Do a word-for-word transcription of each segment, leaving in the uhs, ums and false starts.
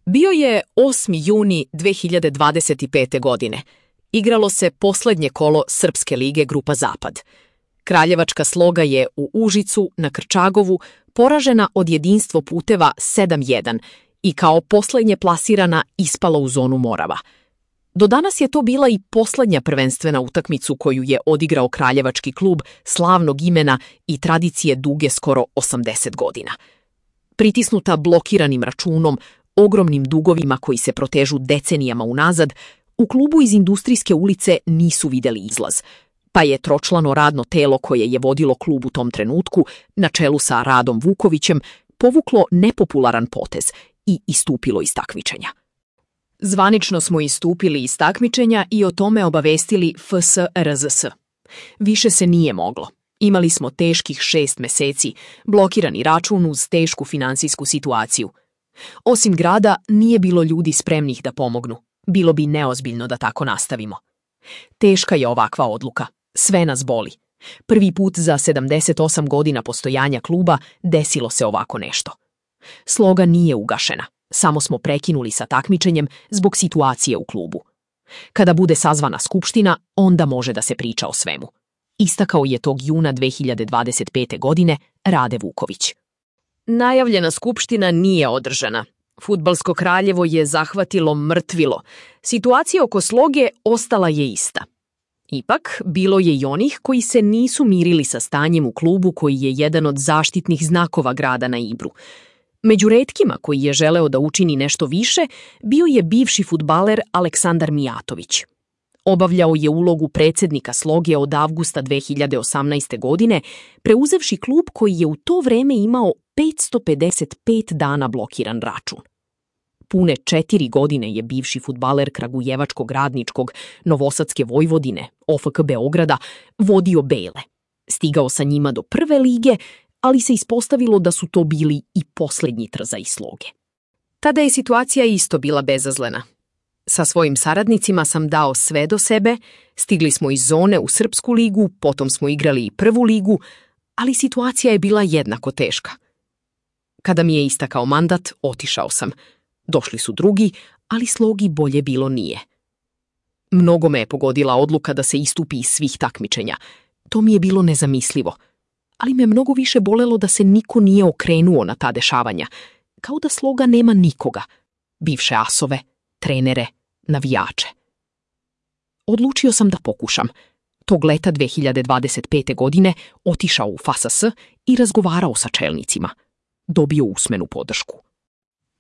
Bio je osmi juni dve hiljade dvadeset pete. godine. Igralo se poslednje kolo Srpske lige Grupa Zapad. Kraljevačka Sloga je u Užicu na Krčagovu poražena od Jedinstvo puteva sedam jedan i kao poslednje plasirana ispala u zonu Morava. Do danas je to bila i poslednja prvenstvena utakmicu koju je odigrao kraljevački klub slavnog imena i tradicije duge skoro osamdeset godina. Pritisnuta blokiranim računom, ogromnim dugovima koji se protežu decenijama unazad, u klubu iz Industrijske ulice nisu videli izlaz, pa je tročlano radno telo koje je vodilo klub u tom trenutku, na čelu sa Radom Vukovićem, povuklo nepopularan potez i istupilo iz takmičenja. Zvanično smo istupili iz takmičenja i o tome obavestili F S R Z S. Više se nije moglo. Imali smo teških šest meseci, blokirani račun uz tešku finansijsku situaciju. Osim grada, nije bilo ljudi spremnih da pomognu. Bilo bi neozbiljno da tako nastavimo. Teška je ovakva odluka. Sve nas boli. Prvi put za sedamdeset osam godina postojanja kluba desilo se ovako nešto. Sloga nije ugašena. Samo smo prekinuli sa takmičenjem zbog situacije u klubu. Kada bude sazvana skupština, onda može da se priča o svemu. Istakao je tog juna dve hiljade dvadeset pete. godine Rade Vuković. Najavljena skupština nije održana. Fudbalsko Kraljevo je zahvatilo mrtvilo. Situacija oko Sloge ostala je ista. Ipak, bilo je i onih koji se nisu mirili sa stanjem u klubu koji je jedan od zaštitnih znakova grada na Ibru. Među retkima koji je želeo da učini nešto više, bio je bivši fudbaler Aleksandar Mijatović. Obavljao je ulogu predsjednika Sloge od avgusta dve hiljade osamnaeste. godine, preuzevši klub koji je u to vreme imao petsto pedeset pet dana blokiran račun. Pune četiri godine je bivši fudbaler Kragujevačkog radničkog, Novosadske Vojvodine, O F K Beograda, vodio Bele. Stigao sa njima do prve lige, ali se ispostavilo da su to bili i posljednji trzaji Sloge. Tada je situacija isto bila bezazlena. Sa svojim saradnicima sam dao sve do sebe, stigli smo iz zone u Srpsku ligu, potom smo igrali i prvu ligu, ali situacija je bila jednako teška. Kada mi je istakao mandat, otišao sam. Došli su drugi, ali Slogi bolje bilo nije. Mnogo me je pogodila odluka da se istupi iz svih takmičenja. To mi je bilo nezamislivo. Ali me mnogo više bolelo da se niko nije okrenuo na ta dešavanja. Kao da Sloga nema nikoga. Bivše asove, trenere, navijače. Odlučio sam da pokušam. Tog leta dve hiljade dvadeset pete. godine otišao u F A S S i razgovarao sa čelnicima. Dobio usmenu podršku.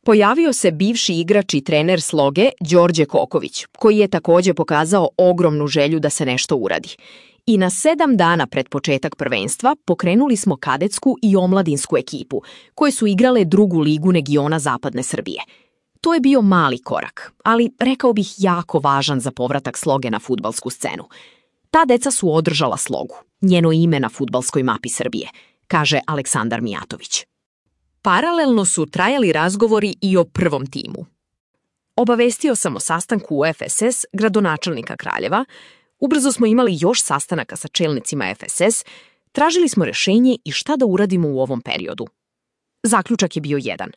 Pojavio se bivši igrač i trener Sloge Đorđe Koković, koji je također pokazao ogromnu želju da se nešto uradi. I na sedam dana pred početak prvenstva pokrenuli smo kadetsku i omladinsku ekipu, koje su igrale drugu ligu regiona Zapadne Srbije. To je bio mali korak, ali rekao bih jako važan za povratak Sloge na fudbalsku scenu. Ta deca su održala Slogu, njeno ime na fudbalskoj mapi Srbije, kaže Aleksandar Mijatović. Paralelno su trajali razgovori i o prvom timu. Obavestio sam o sastanku u F S S gradonačelnika Kraljeva, ubrzo smo imali još sastanaka sa čelnicima F S S, tražili smo rešenje i šta da uradimo u ovom periodu. Zaključak je bio jedan.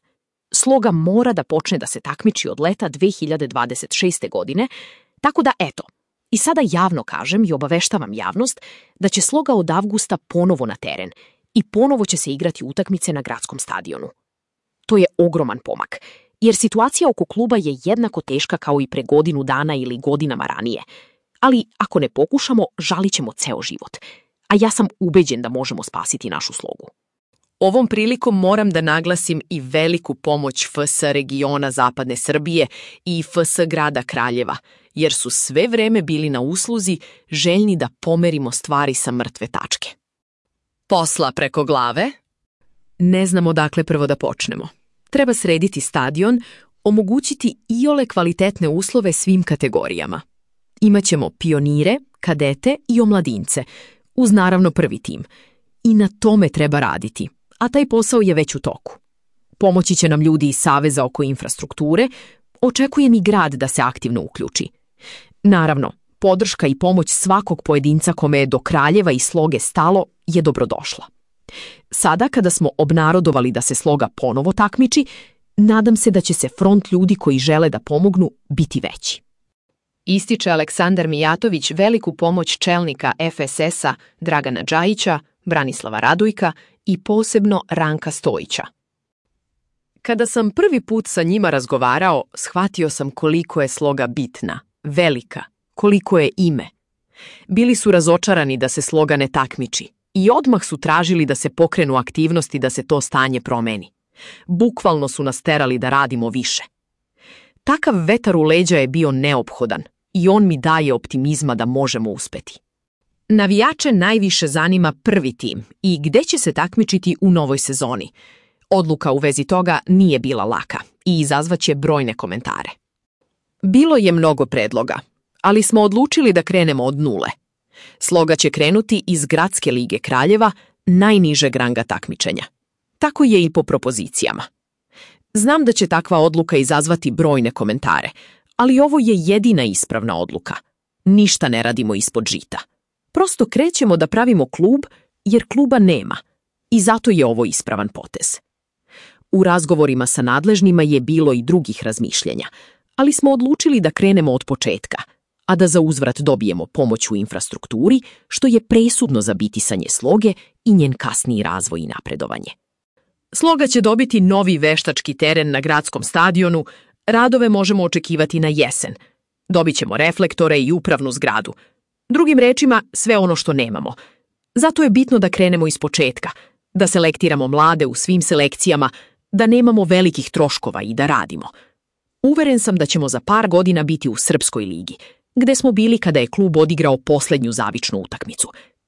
Sloga mora da počne da se takmiči od leta dve hiljade dvadeset šeste. godine, tako da eto, i sada javno kažem i obaveštavam javnost da će Sloga od avgusta ponovo na teren i ponovo će se igrati utakmice na gradskom stadionu. To je ogroman pomak, jer situacija oko kluba je jednako teška kao i pre godinu dana ili godinama ranije. Ali ako ne pokušamo, žalit ćemo ceo život. A ja sam ubeđen da možemo spasiti našu Slogu. Ovom prilikom moram da naglasim i veliku pomoć F S regiona Zapadne Srbije i F S grada Kraljeva, jer su sve vreme bili na usluzi, željni da pomerimo stvari sa mrtve tačke. Posla preko glave? Ne znamo dakle prvo da počnemo. Treba srediti stadion, omogućiti iole kvalitetne uslove svim kategorijama. Imaćemo pionire, kadete i omladince, uz naravno prvi tim. I na tome treba raditi, a taj posao je već u toku. Pomoći će nam ljudi iz Saveza oko infrastrukture, očekujem i grad da se aktivno uključi. Naravno, podrška i pomoć svakog pojedinca kome je do Kraljeva i Sloge stalo je dobrodošla. Sada, kada smo obnarodovali da se Sloga ponovo takmiči, Nadam se da će se front ljudi koji žele da pomognu biti veći. Ističe Aleksandar Mijatović veliku pomoć čelnika F S S-a Dragana Džajića, Branislava Radujka i posebno Ranka Stojića. Kada sam prvi put sa njima razgovarao, shvatio sam koliko je sloga bitna, velika, koliko je ime. Bili su razočarani da se sloga ne takmiči i odmah su tražili da se pokrenu aktivnosti da se to stanje promeni. Bukvalno su nas terali da radimo više. Takav vetar u leđa je bio neophodan i on mi daje optimizma da možemo uspeti. Navijače najviše zanima prvi tim i gde će se takmičiti u novoj sezoni. Odluka u vezi toga nije bila laka i izazvaće brojne komentare. Bilo je mnogo predloga, ali smo odlučili da krenemo od nule. Sloga će krenuti iz Gradske lige Kraljeva, najnižeg ranga takmičenja. Tako je i po propozicijama. Znam da će takva odluka izazvati brojne komentare, ali ovo je jedina ispravna odluka. Ništa ne radimo ispod žita. Prosto krećemo da pravimo klub jer kluba nema i zato je ovo ispravan potez. U razgovorima sa nadležnima je bilo i drugih razmišljenja, ali smo odlučili da krenemo od početka, a da za uzvrat dobijemo pomoć u infrastrukturi, što je presudno za bitisanje Sloge i njen kasniji razvoj i napredovanje. Sloga će dobiti novi veštački teren na gradskom stadionu, radove možemo očekivati na jesen. Dobit ćemo reflektore i upravnu zgradu. Drugim rečima, sve ono što nemamo. Zato je bitno da krenemo iz početka, da selektiramo mlade u svim selekcijama, da nemamo velikih troškova i da radimo. Uveren sam da ćemo za par godina biti u Srpskoj ligi, gde smo bili kada je klub odigrao poslednju zavičnu utakmicu,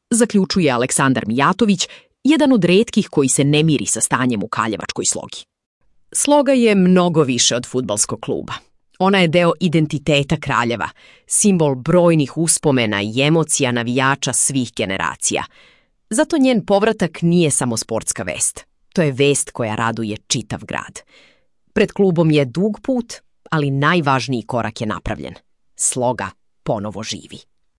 zaključuje Aleksandar Mijatović, jedan od retkih koji se ne miri sa stanjem u Kaljevačkoj Slogi. Sloga je mnogo više od fudbalskog kluba. Ona je deo identiteta Kraljeva, simbol brojnih uspomena i emocija navijača svih generacija. Zato njen povratak nije samo sportska vest. To je vest koja raduje čitav grad. Pred klubom je dug put, ali najvažniji korak je napravljen. Sloga ponovo živi.